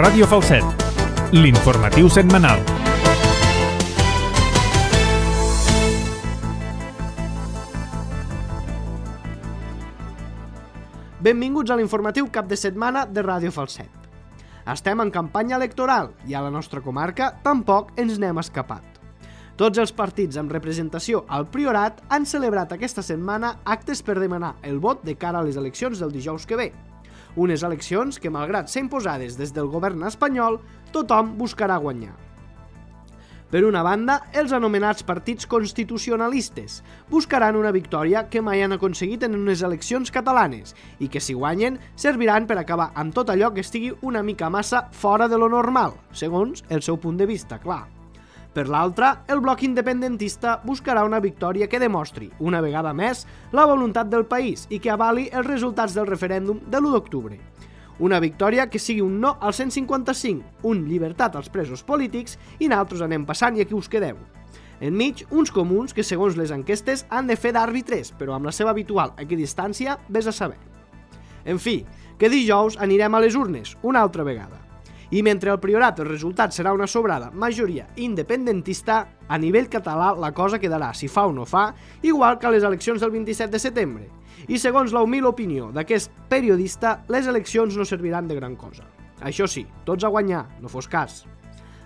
Ràdio Falset, l'informatiu setmanal. Benvinguts a l'informatiu cap de setmana de Ràdio Falset. Estem en campanya electoral i a la nostra comarca tampoc ens n'hem escapat. Tots els partits amb representació al Priorat han celebrat aquesta setmana actes per demanar el vot de cara a les eleccions del dijous que ve. Unes eleccions que, malgrat ser imposades des del govern espanyol, tothom buscarà guanyar. Per una banda, els anomenats partits constitucionalistes buscaran una victòria que mai han aconseguit en unes eleccions catalanes i que, si guanyen, serviran per acabar amb tot allò que estigui una mica massa fora de lo normal, segons el seu punt de vista, clar. Per l'altra, el bloc independentista buscarà una victòria que demostri, una vegada més, la voluntat del país i que avali els resultats del referèndum de l'1 d'octubre. Una victòria que sigui un no al 155, un llibertat als presos polítics i nosaltres anem passant i aquí us quedeu. Enmig, uns comuns que, segons les enquestes, han de fer d'àrbitres, però amb la seva habitual equidistància, vés a saber. En fi, que dijous anirem a les urnes, una altra vegada. I mentre al Priorat el resultat serà una sobrada majoria independentista, a nivell català la cosa quedarà, si fa o no fa, igual que a les eleccions del 27 de setembre. I segons la humil opinió d'aquest periodista, les eleccions no serviran de gran cosa. Això sí, tots a guanyar, no fos cas.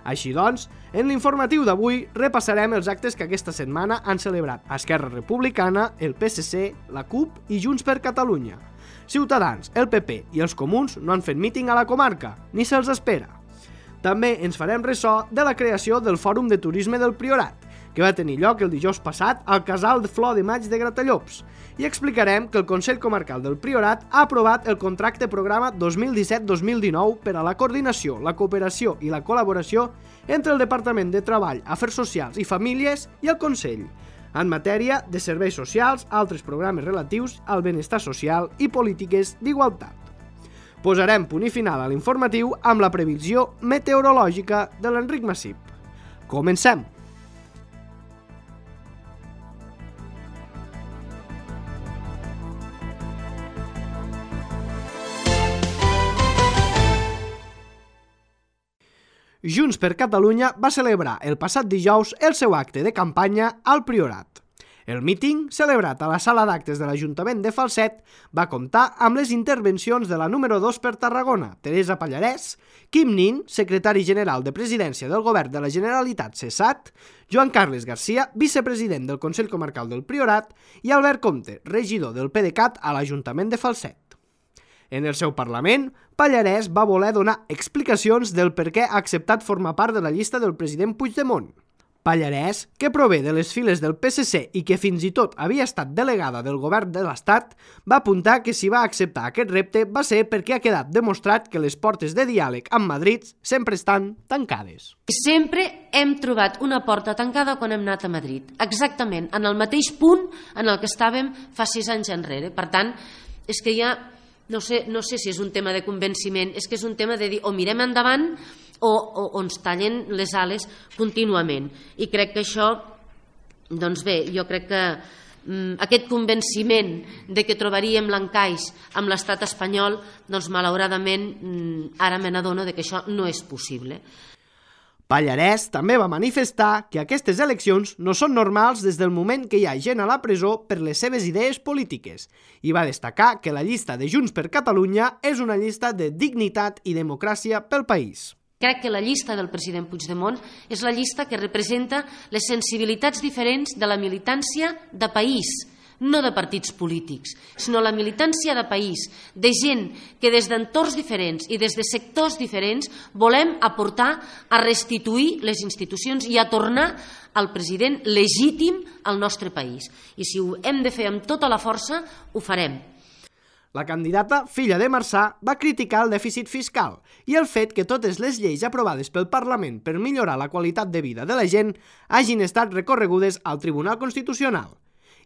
Així doncs, en l'informatiu d'avui repassarem els actes que aquesta setmana han celebrat Esquerra Republicana, el PSC, la CUP i Junts per Catalunya. Ciutadans, el PP i els comuns no han fet míting a la comarca, ni se'ls espera. També ens farem ressò de la creació del Fòrum de Turisme del Priorat, que va tenir lloc el dijous passat al Casal de Flor de Maig de Gratallops, i explicarem que el Consell Comarcal del Priorat ha aprovat el contracte programa 2017-2019 per a la coordinació, la cooperació i la col·laboració entre el Departament de Treball, Afers Socials i Famílies i el Consell, en matèria de serveis socials, altres programes relatius al benestar social i polítiques d'igualtat. Posarem punt i final a l'informatiu amb la previsió meteorològica de l'Enric Massip. Comencem! Junts per Catalunya va celebrar el passat dijous el seu acte de campanya al Priorat. El míting, celebrat a la sala d'actes de l'Ajuntament de Falset, va comptar amb les intervencions de la número 2 per Tarragona, Teresa Pallarès, Quim Nin, secretari general de Presidència del Govern de la Generalitat cessat, Joan Carles Garcia, vicepresident del Consell Comarcal del Priorat i Albert Comte, regidor del PDeCAT a l'Ajuntament de Falset. En el seu Parlament, Pallarès va voler donar explicacions del per què ha acceptat formar part de la llista del president Puigdemont. Pallarès, que prové de les files del PSC i que fins i tot havia estat delegada del govern de l'Estat, va apuntar que si va acceptar aquest repte va ser perquè ha quedat demostrat que les portes de diàleg amb Madrid sempre estan tancades. Sempre hem trobat una porta tancada quan hem anat a Madrid, exactament en el mateix punt en el que estàvem fa 6 anys enrere. Per tant, és que ja no sé si és un tema de convenciment, és que és un tema de dir o mirem endavant o ens tallen les ales contínuament. I crec que això, doncs bé, jo crec que aquest convenciment de que trobaríem l'encaix amb l'estat espanyol, doncs malauradament ara me n'adono que això no és possible. Pallarès també va manifestar que aquestes eleccions no són normals des del moment que hi ha gent a la presó per les seves idees polítiques i va destacar que la llista de Junts per Catalunya és una llista de dignitat i democràcia pel país. Crec que la llista del president Puigdemont és la llista que representa les sensibilitats diferents de la militància de país, no de partits polítics, sinó la militància de país, de gent que des d'entorns diferents i des de sectors diferents volem aportar a restituir les institucions i a tornar al president legítim al nostre país. I si ho hem de fer amb tota la força, ho farem. La candidata, filla de Marçà, va criticar el dèficit fiscal i el fet que totes les lleis aprovades pel Parlament per millorar la qualitat de vida de la gent hagin estat recorregudes al Tribunal Constitucional.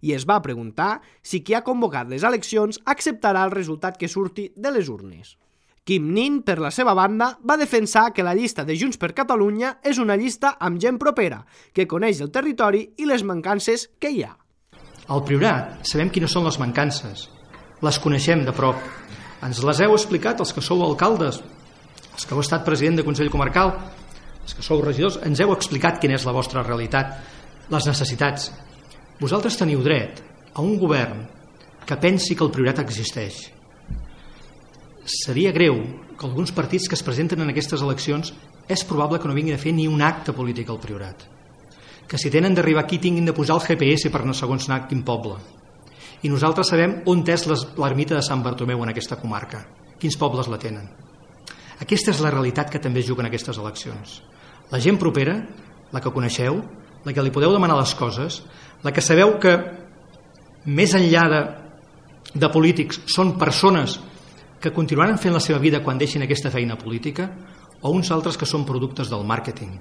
I es va preguntar si qui ha convocat les eleccions acceptarà el resultat que surti de les urnes. Quim Nin, per la seva banda, va defensar que la llista de Junts per Catalunya és una llista amb gent propera, que coneix el territori i les mancances que hi ha. Al Priorat sabem quines són les mancances. Les coneixem de prop. Ens les heu explicat els que sou alcaldes, Els que heu estat president de Consell Comarcal, els que sou regidors, ens heu explicat quina és la vostra realitat, les necessitats. Vosaltres teniu dret a un govern que pensi que el Priorat existeix. Seria greu que alguns partits que es presenten en aquestes eleccions és probable que no vinguin a fer ni un acte polític al Priorat. Que si tenen d'arribar aquí tinguin de posar el GPS per no segons anar a quin poble. I nosaltres sabem on és l'ermita de Sant Bartomeu en aquesta comarca, quins pobles la tenen. Aquesta és la realitat que també es juga en aquestes eleccions. La gent propera, la que coneixeu, la que li podeu demanar les coses, la que sabeu que més enllà de polítics són persones que continuaran fent la seva vida quan deixin aquesta feina política, o uns altres que són productes del màrqueting,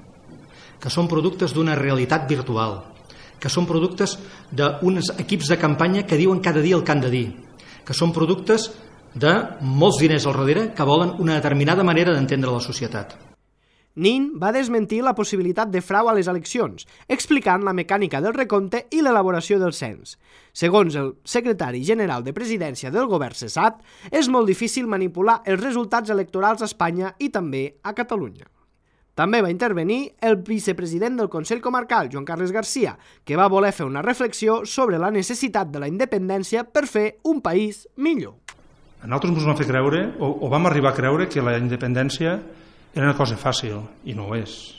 que són productes d'una realitat virtual, que són productes d'uns equips de campanya que diuen cada dia el que han de dir, que són productes de molts diners al darrere que volen una determinada manera d'entendre la societat. Nin va desmentir la possibilitat de frau a les eleccions, explicant la mecànica del recompte i l'elaboració del cens. Segons el secretari general de Presidència del govern cessat, és molt difícil manipular els resultats electorals a Espanya i també a Catalunya. També va intervenir el vicepresident del Consell Comarcal, Joan Carles Garcia, que va voler fer una reflexió sobre la necessitat de la independència per fer un país millor. A nosaltres ens vam fer creure, o vam arribar a creure, que la independència era una cosa fàcil, i no ho és,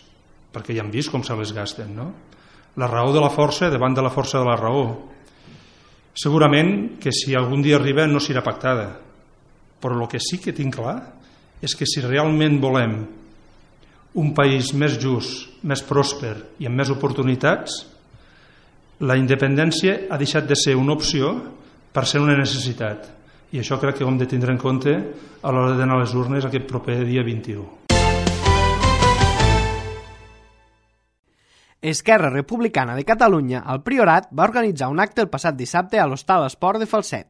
perquè ja hem vist com se les gasten, no? La raó de la força davant de la força de la raó. Segurament que si algun dia arriba no serà pactada, però el que sí que tinc clar és que si realment volem un país més just, més pròsper i amb més oportunitats, la independència ha deixat de ser una opció per ser una necessitat. I això crec que ho hem de tindre en compte a l'hora d'anar a les urnes aquest proper dia 21. Esquerra Republicana de Catalunya, al Priorat, va organitzar un acte el passat dissabte a l'Hostal Esport de Falset.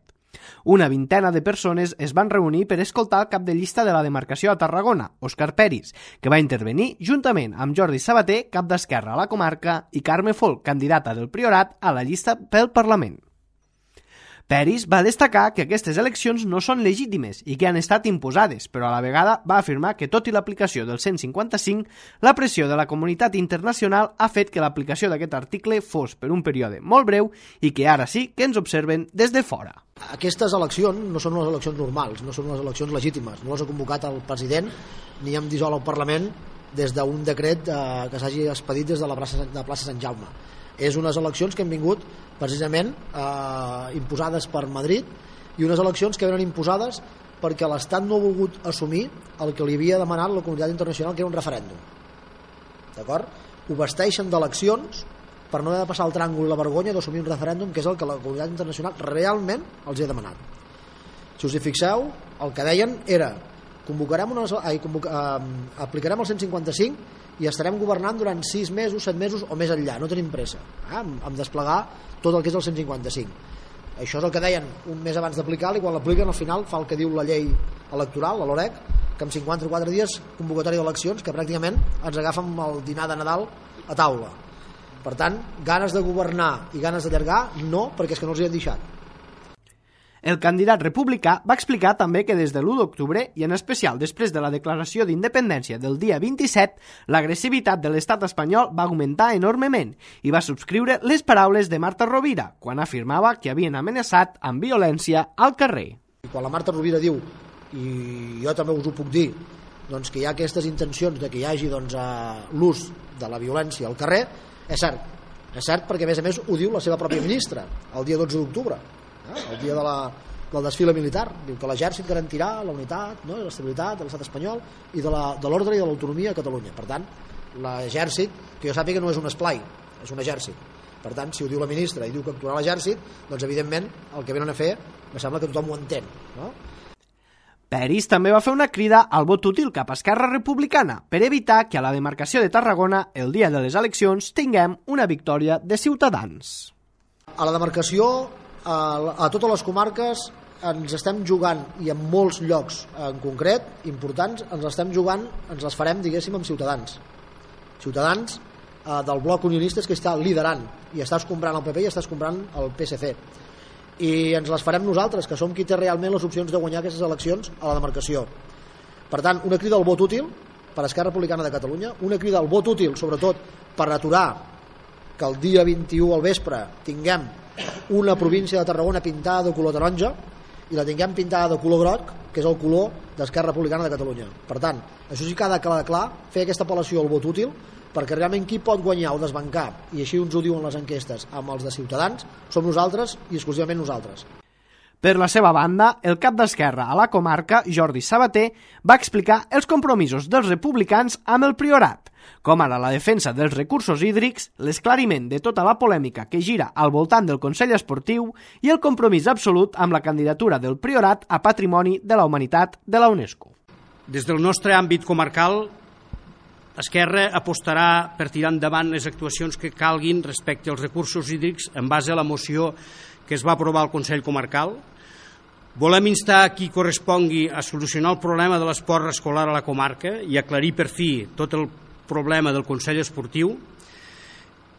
Una vintena de persones es van reunir per escoltar el cap de llista de la demarcació a Tarragona, Òscar Peris, que va intervenir juntament amb Jordi Sabater, cap d'Esquerra a la comarca, i Carme Folk, candidata del Priorat a la llista pel Parlament. Peris va destacar que aquestes eleccions no són legítimes i que han estat imposades, però a la vegada va afirmar que tot i l'aplicació del 155, la pressió de la comunitat internacional ha fet que l'aplicació d'aquest article fos per un període molt breu i que ara sí que ens observen des de fora. Aquestes eleccions no són unes eleccions normals, no són unes eleccions legítimes, no les ha convocat el president ni hem dissolt el Parlament des d'un decret que s'hagi expedit des de la plaça Sant Jaume. És unes eleccions que han vingut precisament imposades per Madrid i unes eleccions que venen imposades perquè l'Estat no ha volgut assumir el que li havia demanat la comunitat internacional, que era un referèndum. D'acord? Ho vesteixen d'eleccions per no haver de passar el tràngol i la vergonya d'assumir un referèndum, que és el que la comunitat internacional realment els ha demanat. Si us hi fixeu, el que deien era aplicarem el 155 i estarem governant durant 6 mesos, 7 mesos o més enllà, no tenim pressa amb desplegar tot el que és el 155. Això és el que deien un mes abans d'aplicar-lo, i quan l'apliquen al final fa el que diu la llei electoral, la LOREC, que en 54 dies convocatòria d'eleccions, que pràcticament ens agafen el dinar de Nadal a taula. Per tant, ganes de governar i ganes d'allargar, no, perquè és que no els hi han deixat. El candidat republicà va explicar també que des de l'1 d'octubre, i en especial després de la declaració d'independència del dia 27, l'agressivitat de l'estat espanyol va augmentar enormement i va subscriure les paraules de Marta Rovira quan afirmava que havien amenaçat amb violència al carrer. Quan la Marta Rovira diu, i jo també us ho puc dir, doncs que hi ha aquestes intencions de que hi hagi l'ús de la violència al carrer, és cert perquè a més ho diu la seva pròpia ministra el dia 12 d'octubre, el dia del desfile militar. Diu que l'exèrcit garantirà la unitat, no, i l'estabilitat de l'estat espanyol i de l'ordre i de l'autonomia a Catalunya. Per tant, l'exèrcit, que jo sàpiga, no és un esplai, és un exèrcit. Per tant, si ho diu la ministra i diu que actuarà l'exèrcit, doncs evidentment el que venen a fer me sembla que tothom ho entén, no? Peris també va fer una crida al vot útil cap a Esquerra Republicana per evitar que a la demarcació de Tarragona, el dia de les eleccions, tinguem una victòria de Ciutadans. A la demarcació, a totes les comarques, ens estem jugant, i en molts llocs en concret, importants, ens les farem, diguéssim, amb Ciutadans. Ciutadans del bloc unionista que està liderant i està escombrant el PP i està escombrant el PSC. I ens les farem nosaltres, que som qui té realment les opcions de guanyar aquestes eleccions a la demarcació. Per tant, una crida al vot útil per Esquerra Republicana de Catalunya, una crida al vot útil sobretot per aturar que el dia 21 al vespre tinguem una província de Tarragona pintada de color taronja i la tinguem pintada de color groc, que és el color d'Esquerra Republicana de Catalunya. Per tant, això sí que ha de quedar clar, fer aquesta apel·lació al vot útil, perquè realment qui pot guanyar o desbancar, i així ens ho diuen les enquestes, amb els de Ciutadans, som nosaltres i exclusivament nosaltres. Per la seva banda, el cap d'Esquerra a la comarca, Jordi Sabater, va explicar els compromisos dels republicans amb el Priorat, com ara la defensa dels recursos hídrics, l'esclariment de tota la polèmica que gira al voltant del Consell Esportiu i el compromís absolut amb la candidatura del Priorat a Patrimoni de la Humanitat de la UNESCO. Des del nostre àmbit comarcal, Esquerra apostarà per tirar endavant les actuacions que calguin respecte als recursos hídrics en base a la moció que es va aprovar al Consell Comarcal. Volem instar a qui correspongui a solucionar el problema de l'esport escolar a la comarca i aclarir per fi tot el problema del Consell Esportiu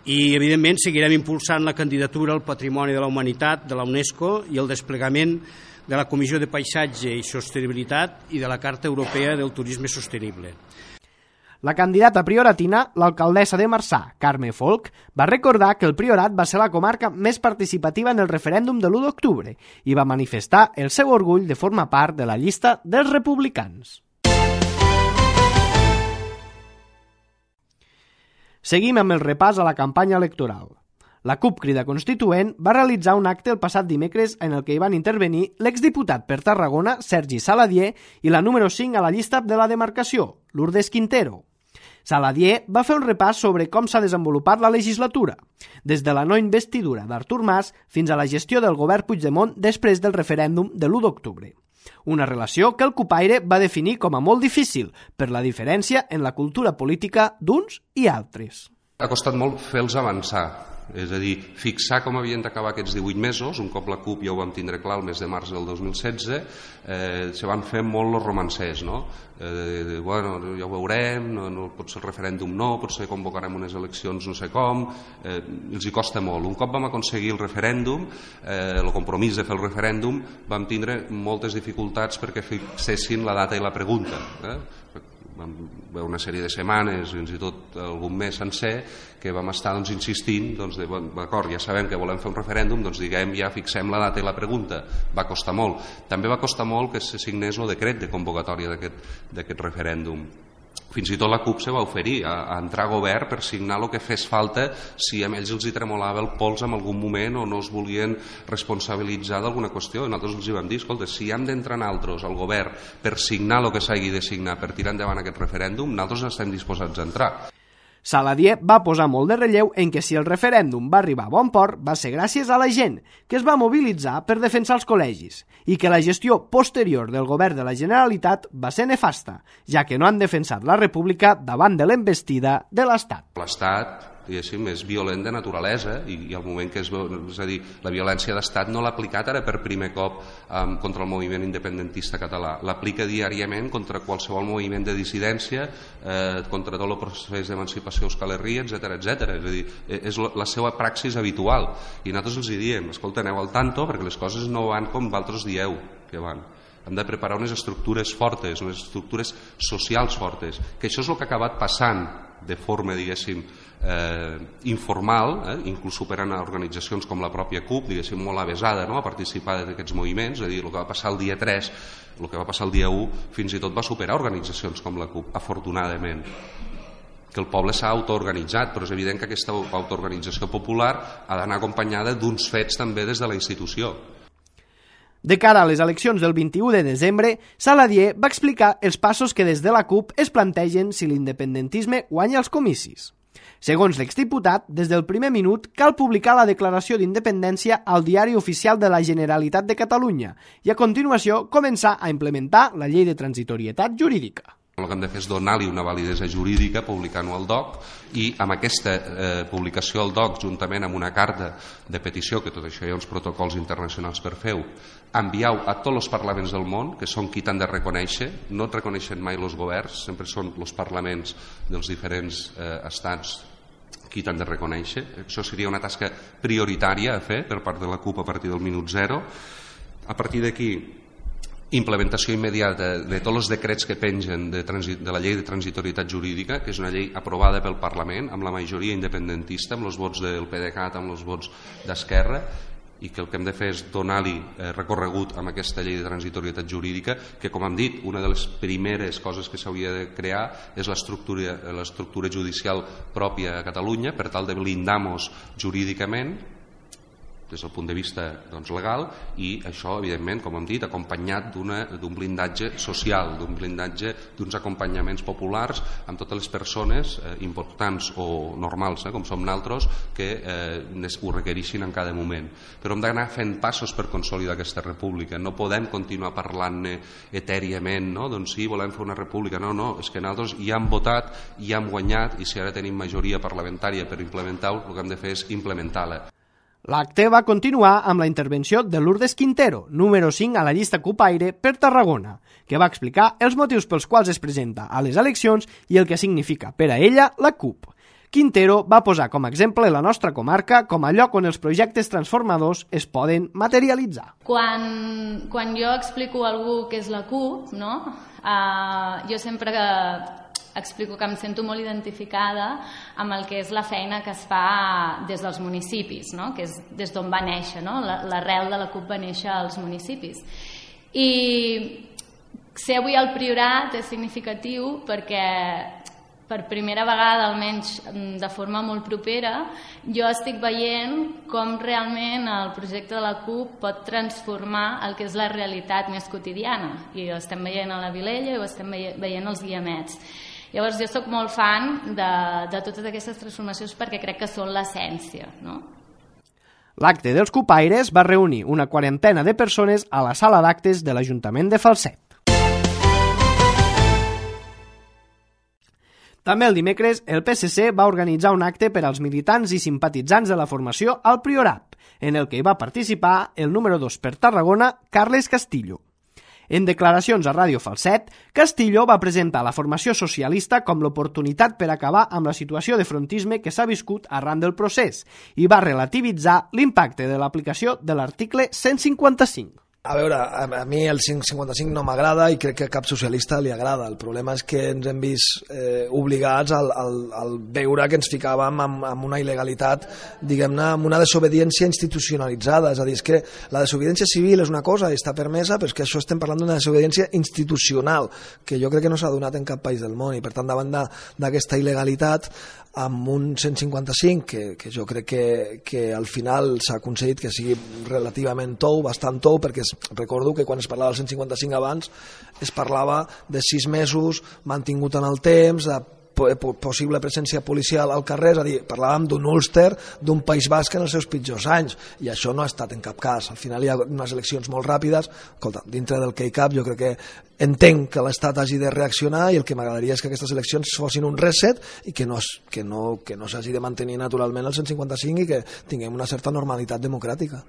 i, evidentment, seguirem impulsant la candidatura al Patrimoni de la Humanitat de la UNESCO i el desplegament de la Comissió de Paisatge i Sostenibilitat i de la Carta Europea del Turisme Sostenible. La candidata prioratina, l'alcaldessa de Marçà, Carme Folch, va recordar que el Priorat va ser la comarca més participativa en el referèndum de l'1 d'octubre i va manifestar el seu orgull de formar part de la llista dels republicans. Seguim amb el repàs a la campanya electoral. La CUP Crida Constituent va realitzar un acte el passat dimecres en el que hi van intervenir l'exdiputat per Tarragona, Sergi Saladier, i la número 5 a la llista de la demarcació, Lourdes Quintero. Saladier va fer un repàs sobre com s'ha desenvolupat la legislatura, des de la no investidura d'Artur Mas fins a la gestió del govern Puigdemont després del referèndum de l'1 d'octubre. Una relació que el cupaire va definir com a molt difícil per la diferència en la cultura política d'uns i altres. Ha costat molt fer-los avançar, és a dir, fixar com havien d'acabar aquests 18 mesos, un cop la CUP ja ho vam tindre clar el mes de març del 2016, se van fer molt els romancers, no? Bueno, ja ho veurem, no pot ser el referèndum no, potser convocarem unes eleccions no sé com, els hi costa molt. Un cop vam aconseguir el referèndum, el compromís de fer el referèndum, vam tindre moltes dificultats perquè fixessin la data i la pregunta. Vam veure una sèrie de setmanes, fins i tot algun mes sencer, que vam estar insistint, d'acord, ja sabem que volem fer un referèndum, doncs diguem, ja fixem la data i la pregunta. Va costar molt. També va costar molt que se signés el decret de convocatòria d'aquest referèndum. Fins i tot la CUP se va oferir a entrar a govern per signar el que fes falta si a ells els hi tremolava el pols en algun moment o no es volien responsabilitzar d'alguna qüestió. Nosaltres els hi vam dir, escolta, si hem d'entrar nosaltres al govern per signar el que s'hagi de signar per tirar endavant aquest referèndum, nosaltres estem disposats a entrar. Saladier va posar molt de relleu en que si el referèndum va arribar a bon port va ser gràcies a la gent, que es va mobilitzar per defensar els col·legis, i que la gestió posterior del govern de la Generalitat va ser nefasta, ja que no han defensat la República davant de l'envestida de l'Estat. L'Estat, diguéssim, és violent de naturalesa i al moment que és a dir, la violència d'estat no l'ha aplicat ara per primer cop contra el moviment independentista català, l'aplica diàriament contra qualsevol moviment de dissidència, contra tot el procés d'emancipació Euskal Herria, etc. És a dir, és la seva praxis habitual i nosaltres els hi diem, escolta, aneu al tanto perquè les coses no van com vosaltres dieu que van. Hem de preparar unes estructures fortes, unes estructures socials fortes, que això és el que ha acabat passant de forma, diguéssim, informal, inclús superant a organitzacions com la pròpia CUP, diguéssim, molt avesada a participar d'aquests moviments, és a dir, el que va passar el dia 3, el que va passar el dia 1, fins i tot va superar organitzacions com la CUP, afortunadament. Que el poble s'ha autoorganitzat, però és evident que aquesta autoorganització popular ha d'anar acompanyada d'uns fets també des de la institució. De cara a les eleccions del 21 de desembre, Saladier va explicar els passos que des de la CUP es plantegen si l'independentisme guanya els comicis. Segons l'exdiputat, des del primer minut cal publicar la declaració d'independència al Diari Oficial de la Generalitat de Catalunya i a continuació començar a implementar la llei de transitorietat jurídica. El que hem de fer és donar-li una validesa jurídica publicant-ho al DOC i amb aquesta publicació al DOC juntament amb una carta de petició, que tot això hi ha uns protocols internacionals per fer-ho, enviar-ho a tots els parlaments del món, que són qui t'han de reconèixer, no et reconeixen mai els governs, sempre són els parlaments dels diferents estats qui t'han de reconèixer. Això seria una tasca prioritària a fer per part de la CUP a partir del minut zero. A partir d'aquí implementació immediata de tots els decrets que pengen de la llei de transitorietat jurídica, que és una llei aprovada pel Parlament amb la majoria independentista, amb els vots del PDeCAT, amb els vots d'Esquerra, i que el que hem de fer és donar-li recorregut amb aquesta llei de transitorietat jurídica, que, com hem dit, una de les primeres coses que s'hauria de crear és l'estructura judicial pròpia a Catalunya, per tal de blindar-nos jurídicament des del punt de vista legal, i això, evidentment, com hem dit, acompanyat d'un blindatge social, d'un blindatge d'uns acompanyaments populars amb totes les persones importants o normals, com som nosaltres, que ho requereixin en cada moment. Però hem d'anar fent passos per consolidar aquesta república. No podem continuar parlant-ne etèriament, no? Doncs sí, volem fer una república. No, és que nosaltres ja hem votat, ja hem guanyat, i si ara tenim majoria parlamentària per implementar-ho, el que hem de fer és implementar-la. L'acte va continuar amb la intervenció de Lourdes Quintero, número 5 a la llista Cupaire per Tarragona, que va explicar els motius pels quals es presenta a les eleccions i el que significa per a ella la CUP. Quintero va posar com a exemple la nostra comarca com a lloc on els projectes transformadors es poden materialitzar. Quan jo explico a algú què és la CUP, no? Jo sempre explico que em sento molt identificada amb el que és la feina que es fa des dels municipis, no? Que és des d'on va néixer, no? L'arrel de la CUP va néixer als municipis. I ser avui al Priorat és significatiu perquè per primera vegada, almenys de forma molt propera, jo estic veient com realment el projecte de la CUP pot transformar el que és la realitat més quotidiana. I ho estem veient a la Vilella i ho estem veient als Guiamets. Llavors jo soc molt fan de totes aquestes transformacions perquè crec que són l'essència, no? L'acte dels Cupaires va reunir una quarantena de persones a la sala d'actes de l'Ajuntament de Falset. També el dimecres, el PSC va organitzar un acte per als militants i simpatitzants de la formació al Priorat, en el que hi va participar el número 2 per Tarragona, Carles Castillo. En declaracions a Ràdio Falset, Castillo va presentar la formació socialista com l'oportunitat per acabar amb la situació de frontisme que s'ha viscut arran del procés i va relativitzar l'impacte de l'aplicació de l'article 155. A veure, a mi el 555 no m'agrada i crec que a cap socialista li agrada. El problema és que ens hem vist obligats al veure que ens ficàvem amb una il·legalitat, diguem-ne, amb una desobediència institucionalitzada. És a dir, és que la desobediència civil és una cosa i està permesa, però és que això estem parlant d'una desobediència institucional, que jo crec que no s'ha donat en cap país del món, i per tant, davant d'aquesta il·legalitat, amb un 155 que jo crec que al final s'ha aconseguit que sigui relativament tou, bastant tou, perquè recordo que quan es parlava del 155 abans es parlava de 6 mesos mantingut en el temps, de possible presència policial al carrer, és a dir, parlàvem d'un Ulster, d'un País Basc en els seus pitjors anys, i això no ha estat en cap cas. Al final hi ha unes eleccions molt ràpides. Escolta, dintre del que hi cap, jo crec que entenc que l'Estat hagi de reaccionar, i el que m'agradaria és que aquestes eleccions fossin un reset i que no s'hagi de mantenir naturalment el 155 i que tinguem una certa normalitat democràtica.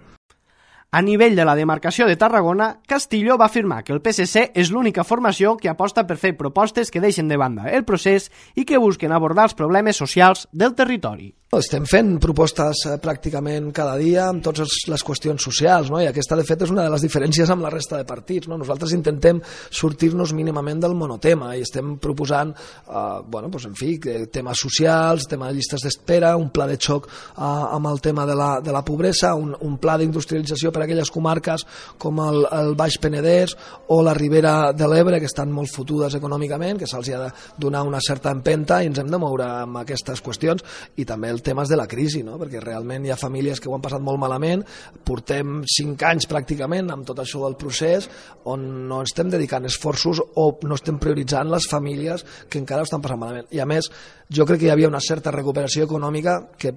A nivell de la demarcació de Tarragona, Castillo va afirmar que el PSC és l'única formació que aposta per fer propostes que deixen de banda el procés i que busquen abordar els problemes socials del territori. Estem fent propostes pràcticament cada dia amb totes les qüestions socials, no? I aquesta, de fet, és una de les diferències amb la resta de partits, no? Nosaltres intentem sortir-nos mínimament del monotema i estem proposant, en fi, temes socials, tema de llistes d'espera, un pla de xoc amb el tema de la pobresa, un pla d'industrialització per a aquelles comarques com el Baix Penedès o la Ribera de l'Ebre, que estan molt fotudes econòmicament, que se'ls ha de donar una certa empenta, i ens hem de moure amb aquestes qüestions, i també el temes de la crisi, no? Perquè realment hi ha famílies que ho han passat molt malament, portem 5 anys pràcticament amb tot això del procés on no estem dedicant esforços o no estem prioritzant les famílies que encara ho estan passant malament. I a més, jo crec que hi havia una certa recuperació econòmica que,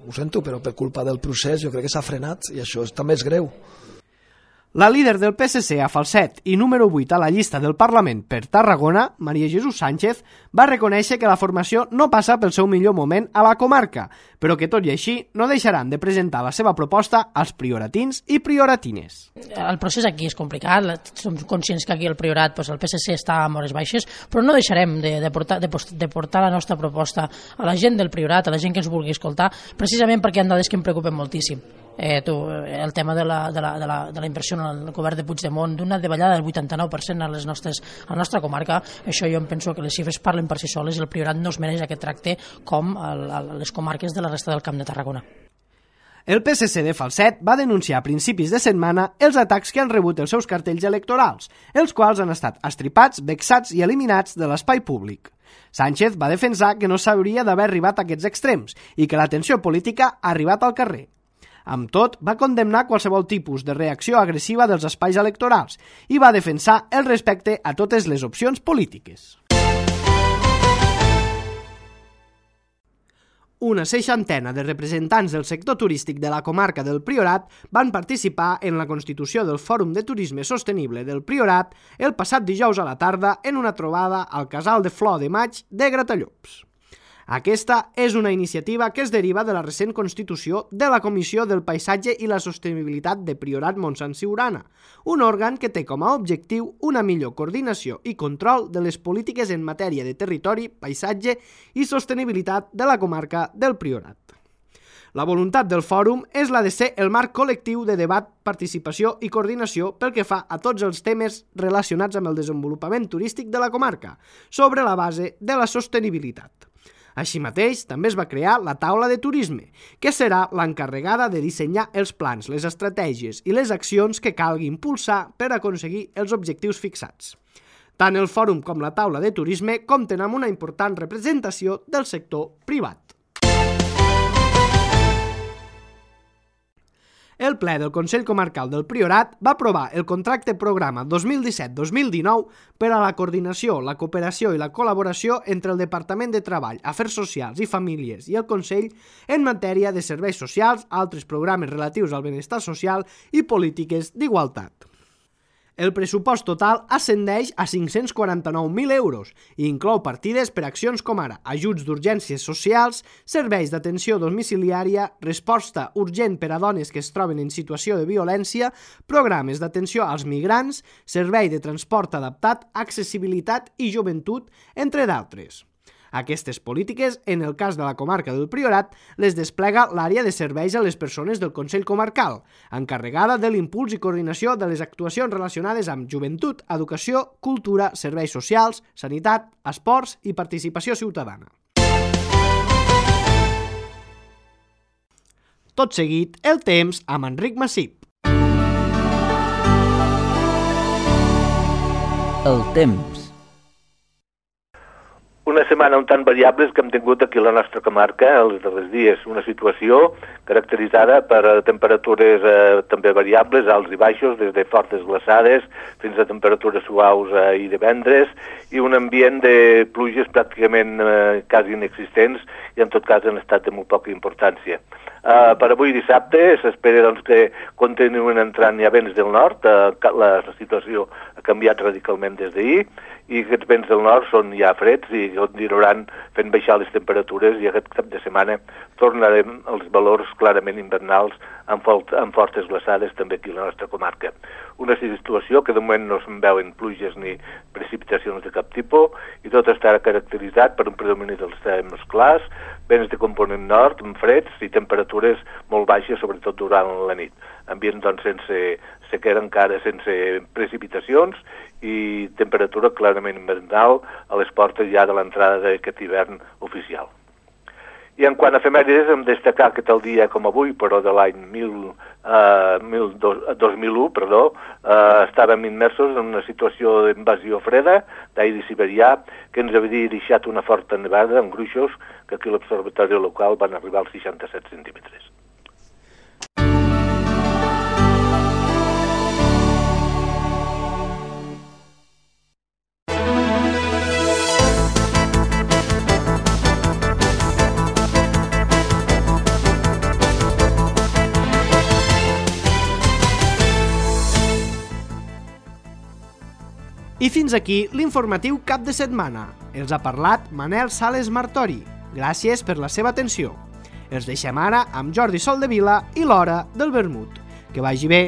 ho sento, però per culpa del procés jo crec que s'ha frenat, i això també és greu. La líder del PSC a Falset i número 8 a la llista del Parlament per Tarragona, Maria Jesús Sánchez, va reconèixer que la formació no passa pel seu millor moment a la comarca, però que tot i així no deixaran de presentar la seva proposta als prioratins i prioratines. El procés aquí és complicat, som conscients que aquí el Priorat, el PSC està a hores baixes, però no deixarem de portar la nostra proposta a la gent del Priorat, a la gent que ens vulgui escoltar, precisament perquè hi ha dades que em preocupen moltíssim. el tema de la inversió en el govern de Puigdemont, d'una davallada del 89% a la nostra comarca, això jo em penso que les xifres parlen per si soles i el Priorat no es mereix aquest tracte com les comarques de la resta del Camp de Tarragona. El PSC de Falset va denunciar a principis de setmana els atacs que han rebut els seus cartells electorals, els quals han estat estripats, vexats i eliminats de l'espai públic. Sánchez va defensar que no s'hauria d'haver arribat a aquests extrems i que la tensió política ha arribat al carrer. Amb tot, va condemnar qualsevol tipus de reacció agressiva dels espais electorals i va defensar el respecte a totes les opcions polítiques. Una seixantena de representants del sector turístic de la comarca del Priorat van participar en la constitució del Fòrum de Turisme Sostenible del Priorat el passat dijous a la tarda en una trobada al Casal de Flor de Maig de Gratallops. Aquesta és una iniciativa que es deriva de la recent constitució de la Comissió del Paisatge i la Sostenibilitat de Priorat Montsant Siurana, un òrgan que té com a objectiu una millor coordinació i control de les polítiques en matèria de territori, paisatge i sostenibilitat de la comarca del Priorat. La voluntat del fòrum és la de ser el marc col·lectiu de debat, participació i coordinació pel que fa a tots els temes relacionats amb el desenvolupament turístic de la comarca, sobre la base de la sostenibilitat. Així mateix, també es va crear la taula de turisme, que serà l'encarregada de dissenyar els plans, les estratègies i les accions que calgui impulsar per aconseguir els objectius fixats. Tant el fòrum com la taula de turisme compten amb una important representació del sector privat. El ple del Consell Comarcal del Priorat va aprovar el contracte programa 2017-2019 per a la coordinació, la cooperació i la col·laboració entre el Departament de Treball, Afers Socials i Famílies i el Consell en matèria de serveis socials, altres programes relatius al benestar social i polítiques d'igualtat. El pressupost total ascendeix a 549.000 euros i inclou partides per accions com ara ajuts d'urgències socials, serveis d'atenció domiciliària, resposta urgent per a dones que es troben en situació de violència, programes d'atenció als migrants, servei de transport adaptat, accessibilitat i joventut, entre d'altres. Aquestes polítiques, en el cas de la comarca del Priorat, les desplega l'àrea de serveis a les persones del Consell Comarcal, encarregada de l'impuls i coordinació de les actuacions relacionades amb joventut, educació, cultura, serveis socials, sanitat, esports i participació ciutadana. Tot seguit, el temps amb Enric Massip. El temps. Una setmana un tant variables que hem tingut aquí a la nostra comarca els darrers dies. Una situació caracteritzada per temperatures també variables, alts i baixos, des de fortes glaçades fins a temperatures suaus i divendres, i un ambient de pluges pràcticament quasi inexistents i en tot cas en estat de molt poca importància. Per avui dissabte s'espera que continuen entrant ja vents del nord, la situació ha canviat radicalment des d'ahir, i aquests vents del nord són ja freds i continuaran fent baixar les temperatures, i aquest cap de setmana tornarem als valors clarament invernals amb fortes glaçades també aquí a la nostra comarca. Una situació que de moment no se'n veuen pluges ni precipitacions de cap tipus i tot estarà caracteritzat per un predomini dels temps clars, vents de component nord, amb freds i temperatures molt baixes, sobretot durant la nit. Ambient sense sequera encara, sense precipitacions i temperatura clarament invernal a les portes ja de l'entrada d'aquest hivern oficial. I en quant a efemèrides, hem destacat que tal dia com avui, però de l'any 2001, estàvem immersos en una situació d'invasió freda d'aire siberià que ens havia deixat una forta nevada amb gruixos que aquí a l'observatori local van arribar als 67 centímetres. I fins aquí l'informatiu cap de setmana. Els ha parlat Manel Sales Martori. Gràcies per la seva atenció. Els deixem ara amb Jordi Soldevila i l'Hora del Vermut. Que vagi bé.